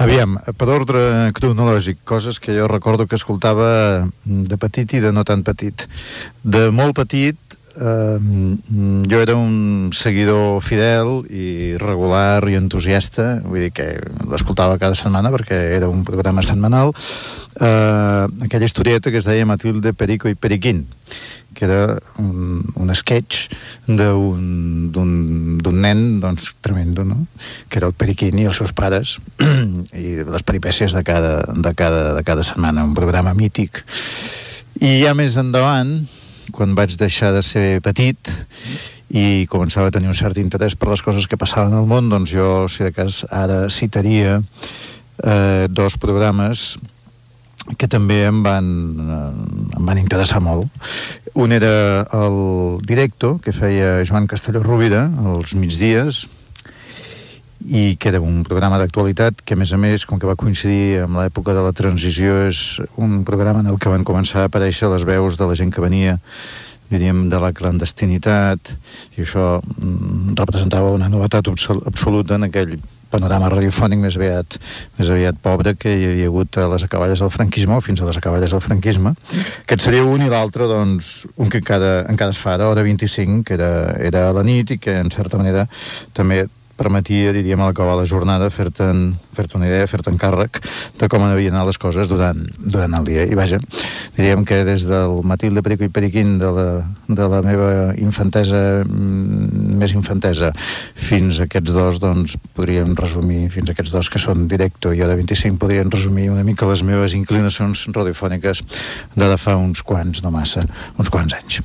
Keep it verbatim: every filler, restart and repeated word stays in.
Aviam, per ordre cronològic, coses que jo recordo que escoltava de petit i de no tan petit. De molt petit, eh, jo era un seguidor fidel i regular i entusiasta, vull dir que l'escoltava cada setmana perquè era un programa setmanal, eh, aquella historieta que es deia Matilde, Perico i Periquín, que era un, un sketch d'un, d'un, d'un nen, doncs, tremendo, no?, que era el Periquín i els seus pares, i les peripècies de cada, de cada, de cada setmana, un programa mític. I ja més endavant, quan vaig deixar de ser petit i començava a tenir un cert interès per les coses que passaven al món, doncs jo, si de cas, ara citaria eh, dos programes que també em van, eh, em van interessar molt. Un era el Directo, que feia Joan Castelló Rovira als migdies, i que era un programa d'actualitat que, a més a més, com que va coincidir amb l'època de la transició, és un programa en el que van començar a aparèixer les veus de la gent que venia, diríem, de la clandestinitat, i això mm, representava una novetat absoluta en aquell panorama radiofònic més aviat, més aviat pobre que hi havia hagut a les acaballes del franquisme, o fins a les acaballes del franquisme. Aquest seria un, i l'altre, doncs, un que encara, encara es fa ara, hora vint-i-cinc, que era, era a la nit i que, en certa manera, també permetia, diríem, al acabar la jornada, fer-te'n fer-te una idea, fer-te'n càrrec de com havien anat les coses durant, durant el dia. I vaja, diríem que des del Matilde, Perico i Periquín de la, de la meva infantesa, més infantesa, fins a aquests dos, doncs, podríem resumir, fins a aquests dos que són Directo i Hora vint-i-cinc, podríem resumir una mica les meves inclinacions radiofòniques de fa uns quants, no massa, uns quants anys.